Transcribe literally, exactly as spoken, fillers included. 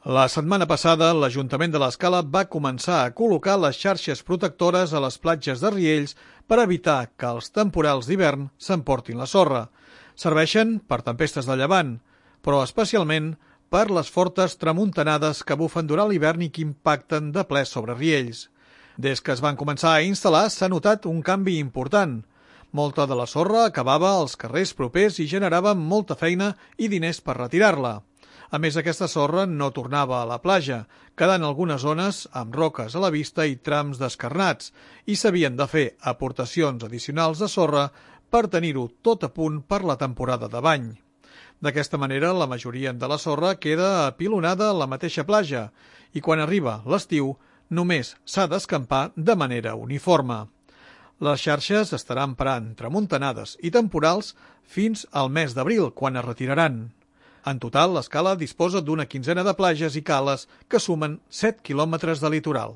La setmana passada, l'Ajuntament de l'Escala va començar a col·locar les xarxes protectores a les platges de Riells per evitar que els temporals d'hivern s'emportin la sorra. Serveixen per tempestes de llevant, però especialment per les fortes tramuntanades que bufen durant l'hivern i que impacten de ple sobre Riells. Des que es van començar a instal·lar s'ha notat un canvi important. Molta de la sorra acabava als carrers propers i generava molta feina i diners per retirar-la. A més, aquesta sorra no tornava a la platja, quedant algunes zones amb roques a la vista i trams descarnats, i s'havien de fer aportacions addicionals de sorra per tenir-ho tot a punt per la temporada de bany. D'aquesta manera, la majoria de la sorra queda apilonada a la mateixa platja i quan arriba l'estiu només s'ha d'escampar de manera uniforme. Les xarxes estaran parant tramuntanades i temporals fins al mes d'abril, quan es retiraran. En total, l'Escala disposa d'una quinzena de platges i cales que sumen set quilòmetres de litoral.